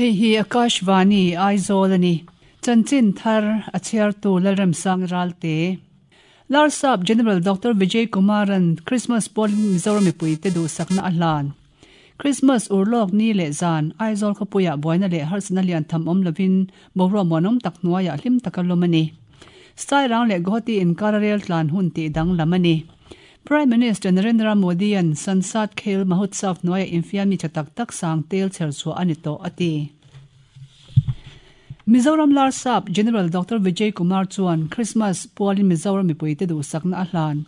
Hei hi Akashvani, Aizawl a ni. Chanchin thar a chhiartu Lalremsang Ralte. Larsap General Doctor Vijay Kumar-a'n Christmas pawlin Mizoram mipuite duhsakna a hlan. Christmas urlawk ni leh zan, Aizawl khawpuiah buaina leh harsatna lian tham awm lovin boruak muanawm tak hnuaiah hlim taka lawm a ni. Sairang leh Guwahati inkara rel tlan hun tih danglam a ni. Prime Minister Narendra Modi-a'n Sansad Khel Mahotsav hnuaiah infiammi tha tak tak sang tel chher chhuah a ni tawh a ti. Mizoram Larsap General Doctor Vijay Kumar chuan Christmas pualin Mizoram mipuite duhsakna a hlan.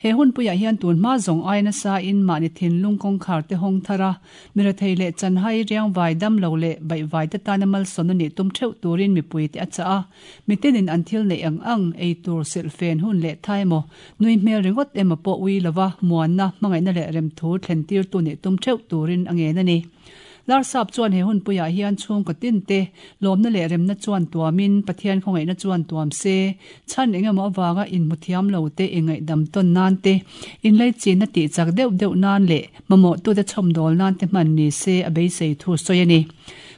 He hunpuiah hian tun hma zawng ai nasa in mahni thinlung kawngkhar te hawng thar a, mirethei leh chanhai riangvai dam lo leh baihvai te tana malsawmna nih tum theuh turin mipuite a chah a. Mitinin an thil neih ang ang, ei tur, silhfen, hun leh tha emaw, nui hmel ringawt emaw pawh ui lova muanna, hmangaihna leh remthu thlen tirtu nih tum theuh turin a ngen a ni. Larsap chuan he hunpuiah hian chhungkaw tin te lawmna leh remna chuan tuamin Pathian khawngaihna chuan tuam se, chhan engemaw avanga inhmu thiam lo te inngaihdam tawn nan te, inlaichinna tih chak deuh deuh nan leh mamawhtute chhawmdawl nan te hman ni se a beisei thu sawi a ni.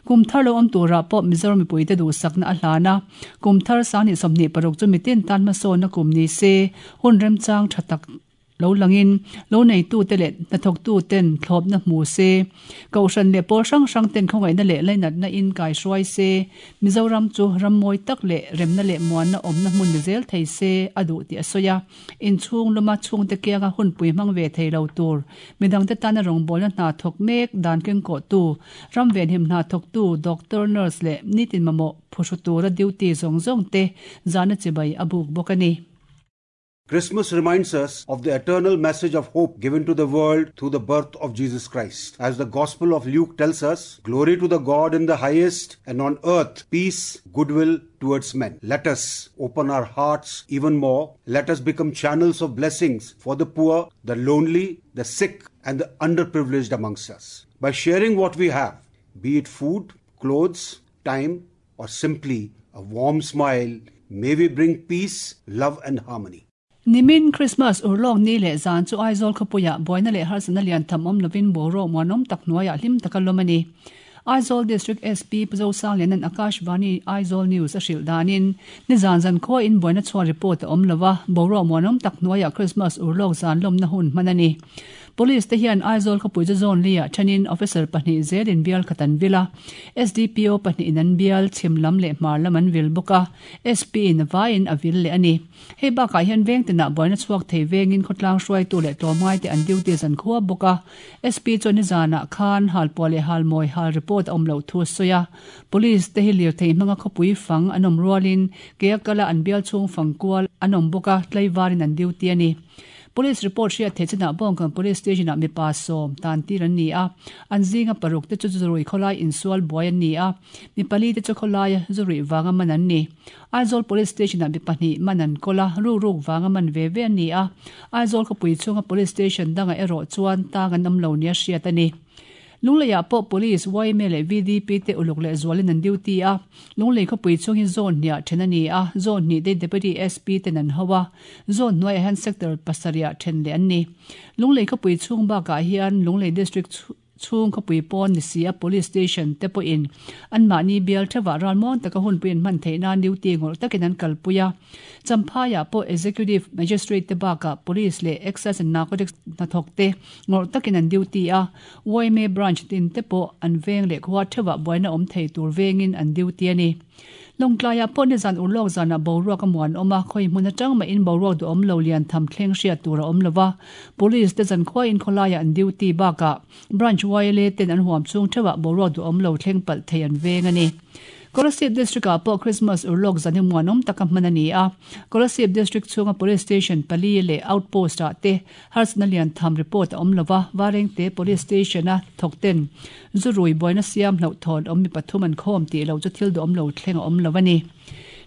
Kum thar lo awm turah pawh Mizoram mipuite duhsakna a hlan a, kum thar 2026 chu mitin tan hmasawnna kum ni se, hun remchang tha tak Lo langin, lo neitute leh hnathawktuten thlawpna hmu se, Kohhran leh pawl hrang hrang ten khawngaihna leh lainatna in kaihruai se, Mizoram chu ram mawi tak leh remna leh muanna awmna hmun ni zel thei se a duh tih a sawi a. Inchhung luma chhungte kianga hunpui hmang ve thei lo tur, midangte tana rawngbawlna hna thawk mek dan kengkawhtu, ram venhim hna thawktu, doctor, nurse leh nitin mamawh phuhru tura duty zawng zawng te zahna chibai a buk bawk a ni. Christmas reminds us of the eternal message of hope given to the world through the birth of Jesus Christ. As the Gospel of Luke tells us, glory to the God in the highest and on earth peace, goodwill towards men. Let us open our hearts even more. Let us become channels of blessings for the poor, the lonely, the sick, and the underprivileged amongst us. By sharing what we have, be it food, clothes, time, or simply a warm smile, may we bring peace, love and harmony. Nimin Christmas urlawk ni leh zan chu Aizawl khawpuiah buaina leh harsatna lian tham awm lovin boruak muanawm tak hnuaiah hlim taka lawm a ni. Aizawl District SP Pu Zosangliana'n Akashvani Aizawl News a hrilh danin nizan zankhuain buaina chhuah report a awm lo a, boruak muanawm tak hnuaiah Christmas urlawk zan lawmna hun hman a ni. Police te hian Aizawl khawpui chu zone li ah thenin officer pahnih zelin bial khat an vil a, SDPO pahnihin an bial, chhim lam leh hmar lam an vil bawk a, SP in a vaiin a vil leh a ni. Hei bakah hian veng tinah buaina chhuak thei vengin khawtlang hruaitu leh tlawmngai te an duty zan khua bawk a, SP chuan nizanah khan halpuah leh halmawi hal report a awm loh thu a sawi a, Police te hi lirthei hmanga khawpui fang an awm rualin ke a kala an bial chhung fang kual an awm bawk a, tlaivarin an duty a ni. Police report hriat theih chinah Bawngkawn Police Station-ah mipa sawm tan tir an ni a, an zinga paruk te chu zurui khawlai insual buai an ni a, mi pali te chu khawlaia zurui vanga man an ni. Aizawl Police Station-ah mi pahnih man an kawl a, rukruk vanga man ve ve an ni a, Aizawl khawpui chhunga Police Station dangah erawh chuan tang an awm lo nia hriat a ni. Lungleiah pawh Police, yma leh VDP te uluk leh zualin an duty a, Lunglei khawpui chhung hi zone hniah then a ni a, zone hnih te Deputy SP ten an ho a, zone hnuaiah hian sector pasarihah then leh an ni. Lunglei khawpui chhung bakah hian Lunglei District chhung khawpui pawn ni si a Police Station te pawhin anmahni bial theuhah ralmuang taka hunpui an hman theih nan duty ngawrh takin an kalpui a. Champhaiah pawh Executive Magistrate te bakah Police leh Excise and Narcotics hnathawk te ngawrh takin an duty a, yma branch tin te pawh an veng leh khua theuhah buaina awm thei tur vengin an duty a ni. Lawngtlaiah pawh nizan urlawk zanah boruak a muan awm a, khawi hmun atang mahin boruak duhawm lo lian tham thleng hriat tur a awm lo va, Police te zankhuain khawlaiah an duty bakah Branch YLA ten an huam chhung theuhah boruak duhawm lo thleng palh thei an veng a ni. Kolasib District-ah pawh Christmas urlawk zan hi muanawm taka hman a ni a. Kolasib District chhunga Police Station pali leh Outpost-ah te harsatna lian tham report a awm lo va, Varengte Police Station-a thawkten zu rui buaina siam hlauhthawn awm mi pathum an khawm tih loh chu thil duhawm lo thleng a awm lo a ni.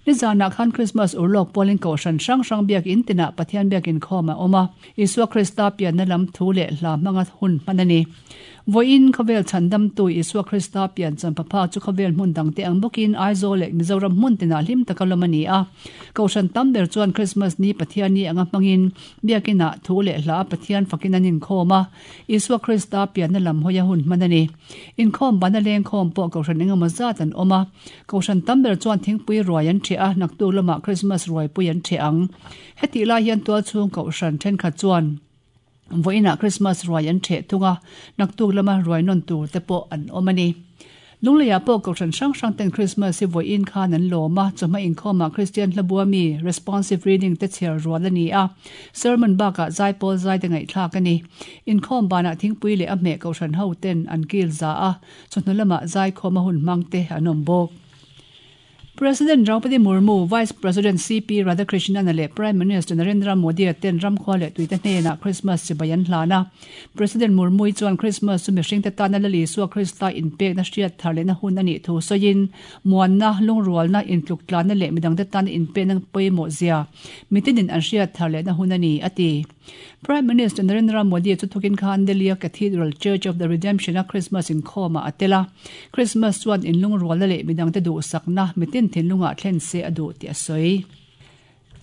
Nizanah khan Christmas urlawk pualin kohhran hrang hrang biakinn tinah Pathian biakin khawm a awm a, Isua Krista pianna lam thu leh hla hmanga hun hman a ni. Vawiin khawvel chhandamtu Isua Krista piancham phapha chu khawvel hmun dangte ang bawkin Aizawl leh Mizoram hmun tinah hlim taka lawm a ni a. Kohhran tam ber chuan Krismas ni Pathian ni anga hmangin Biakinah thu leh hla Pathian fakin an inkhawm a, Isua Krista pianna lam hawia hun hman a ni. Inkhawm bana lengkhawm pawh Kohhran engemaw zat an awm a. Kohhran tam ber chuan thingpui ruai an ṭheh a, naktuk lamah Krismas ruaipui an ṭheh ang. Hetih lai hian tualchhung Kohhran ṭhenkhat chuan Vawiinah Krismas ruai an ṭheh thung a, naktuk lama ruai nawn tur te pawh an awm a ni. Lungleiah pawh Kohhran hrang hrang ten Krismas hi vawiin khan an lawm a, chawhma inkhawmah Kristian hlabua mi Responsive Reading te chhiar rual a ni a, sermon bakah zaipawl zai te ngaihthlak a ni. Inkhawm banah thingpui leh a hmeh Kohhran ho ten an kil za a, chawhnu lamah zaikhawm a hun hmang te an awm bawk. President Draupadi Murmu, Vice President CP Radhakrishnan leh Prime Minister Narendra Modi-a ten ramkhua leh tuite hnenah Christmas chibai an hlan a. President Murmu-i chuan Christmas chu mihringte tana Lal Isua Krista inpekna hriat thar lehna hun a nih thu sawiin, muanna, lungrualna, intluktlanna leh midangte tana inpekna pawimawh zia mitinin an hriat thar lehna hun a ni, a ti. Prime Minister Narendra Modi chu thukin khan Delhi-a Cathedral Church of the Redemption-a Christmas inkhawmah a tel a. Christmas chuan inlungrualna leh midangte duhsakna mitin thinlungah thlen se a duh tih a sawi.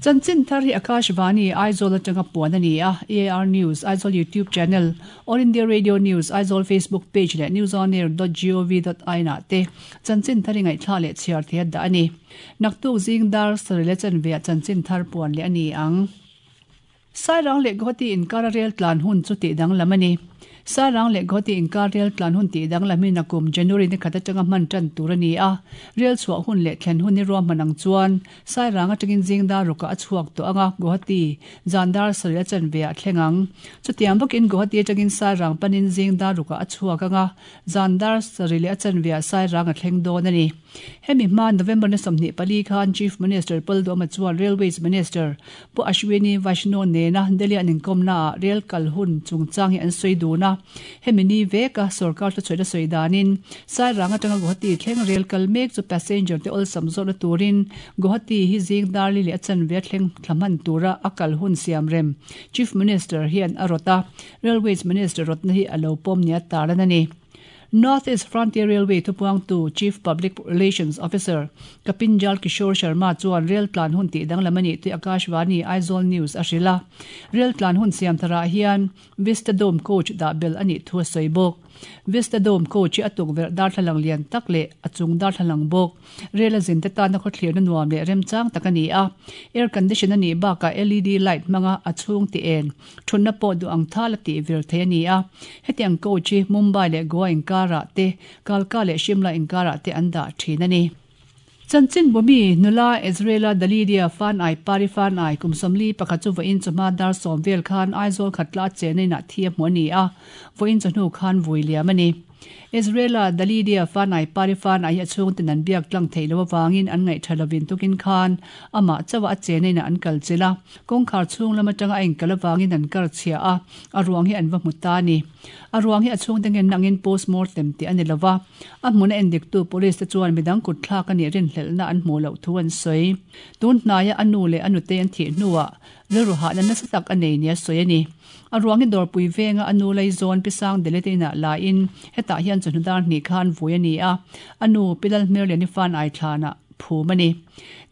Chanchin thar hi Akashvani, Aizawl atanga puan a ni a, AIR News, Aizawl YouTube channel, All India Radio News, Aizawl Facebook page leh newsonair dot gov dot in ah te chanchin thar i ngaihthla leh chhiar thei a dah a ni. Naktuk zing dar sarih leh chanveah chanchin thar puan leh a ni ang. Sairang leh Guwahati inkara rel tlan hun chu tih danglam a ni. Sairang leh Guwahati inkar rel tlan hun tih danglam hi nakum January ni khat atanga hman tan tur a ni a. Rel chhuah hun leh thlen hun hi ruahman ang chuan Sairang atangin zingdar rukah a chhuak tawh ang a, Guwahati zandar sarih a chanve ah thleng ang. Chutiang bawkin Guwahati atangin Sairang panin zingdar rukah a chhuak ang a, zandar sarih leh a chanve ah Sairang a thleng dawn a ni. Hemi hma November ni 24 khan Chief Minister Paul Duhama chuan Railways Minister Pu Ashwini Vaishnaw nena Delhi an inkawmnaah rel kal hun chungchang hi an sawi dun a. Hemi ni veka sorkar thuchhuahna sawi danin Sairang atanga Guwahati thleng rel kal mek chu passenger te awlsam zawhna turin Guwahati hi zing darli leh a chanve a thleng thla hman tura a kal hun siam rem Chief Minister hian a rawt a. Railways Minister rawtna hi a lo pawm nia tarlan a ni. North East Frontier Railway thupuangtu Chief Public Relations Officer Kapinjal Kishore Sharma chuan rel tlan hun tih danglam a nih tih Akashvani Aizawl News a hrilh a. Rel tlan hun siam tharah hian Vista Dome coach dah belh a nih thu a sawi bawk. Vista Dome coach hi a tukverh darthlalang lian tak leh a chung darthlalang bawk. Rel a zinte tana khawthlirna nuam leh remchang tak a ni a. Air condition a nih bakah LED light hmanga a chhung ti en. Thutna pawh duh ang thal a tih vir thei a ni a. Hetiang coach hi Mumbai leh Goa inkarah te, Kalka leh Shimla inkarah te an dah thin a ni. Chanchin bumi nula Israela Dalidia Fanai Pari Fanai kum 41 chu vawiin chawhma dar sawm vel khan Aizawl khatla a chenna inah thi a hmu a ni a, vawiin chawhnu khan vui liam a ni. Israel-a Dalidia Fanai Pari Fanai hi a chhungten an biak tlang theih loh avangin an ngaih tha lovin tukin khan amah chauha a chenna inah an kal chilh a. Kawngkhar chhung lam atanga a inkal avangin an kar chhia a, a ruang hi an va hmu ta a ni. A ruang hi a chhungte ngen nangin postmortem tih a ni lova, a hmuna endiktu police te chuan midang kut thlak a nih rinhlelhna an hmuh loh thu an sawi. Tun hnaia a nu leh a nutei an thih hnuah rilru hahna nasa tak a nei nia sawi a ni. A ruang hi dawrpui venga a nu Laizawn Pi Sang Delete inah laiin hetah hian chawhnu dar hnih khan vui a ni a, a nu Pi Lalhmerliani fan Aithlanah phum a ni.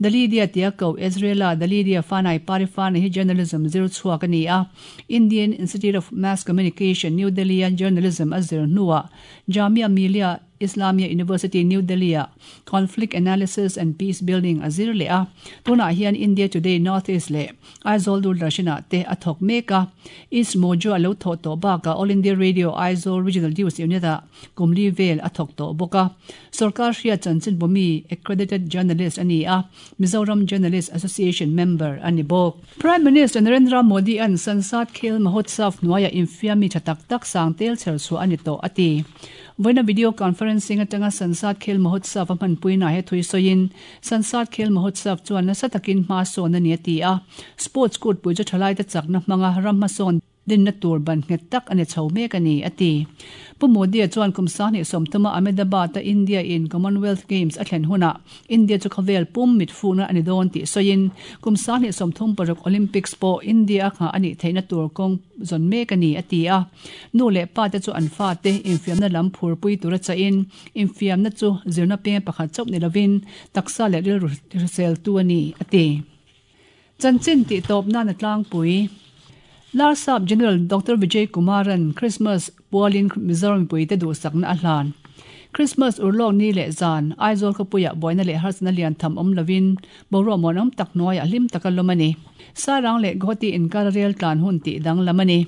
Dalidia tia ko Israel-a Dalidia Fanai Parifana hi journalism zir chhuak a ni a. Indian Institute of Mass Communication, New Delhi-a journalism a zir hnuah Jamia Millia Islamia University, New Delhi-ah Conflict Analysis and Peace Building a zir leh a. Tunah hian India Today North East leh Aizawl Doordarshan-ah te a thawk mek a. East Mojo a lo thawh tawh bakah All India Radio Aizawl Regional News Unit-ah kum li vel a thawk tawh bawk a. Sorkar hriat chanchinbu mi, accredited journalist a ni a, Mizoram Journalist Association member a ni bawk. Prime Minister Narendra Modi-a'n Sansad Khel Mahotsav hnuaiah infiam mi tha tak tak sang tel chher chhuah a ni tawh a ti. Vawiina video conferencing atanga Sansad Khel Mahotsav a hmanpuina he thui sawiin, Sansad Khel Mahotsav chuan nasa takin hma sawn a ni a ti a. Sports kutpui chu thalaite chakna hmanga ram hmasawn. Dinna tur ban nghet tak a ni chho mek a ni, a ti. Pu Modi-a chuan kum 2030-a Ahmedabad-a India-in Commonwealth Games a thlen hunah India chu khawvel pum mitfuhna a ni dawn tih sawiin, kum 2036 Olympics pawh India-a nghah a nih theihna tur kawng zawn mek a ni, a ti a. Nu leh pate chu an fate infiamna lam phurpui tura chahin, infiamna chu zirna peng pakhat chauh ni lovin taksa leh rilru hriseltu a ni, a ti. Chanchin tih tawp nan a tlangpui. Larsap General Doctor Vijay Kumaran Christmas pualin Mizoram mipuite duhsakna a hlan. Christmas urlawk ni leh zan, Aizawl khawpuiah buaina leh harsatna lian tham awm lovin boruak muanawm tak hnuaiah hlim taka lawm a ni. Sairang leh Guwahati inkar rel tlan hun tih danglam a ni.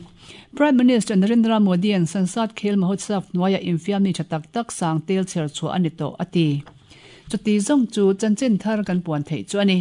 Prime Minister Narendra Modi-a'n Sansad Khel Mahotsav hnuaiah infiamni tha tak tak sang tel chher chhuah a ni tawh, a ti. Chuti zawng chu chanchin thar kan puan theih chu a ni.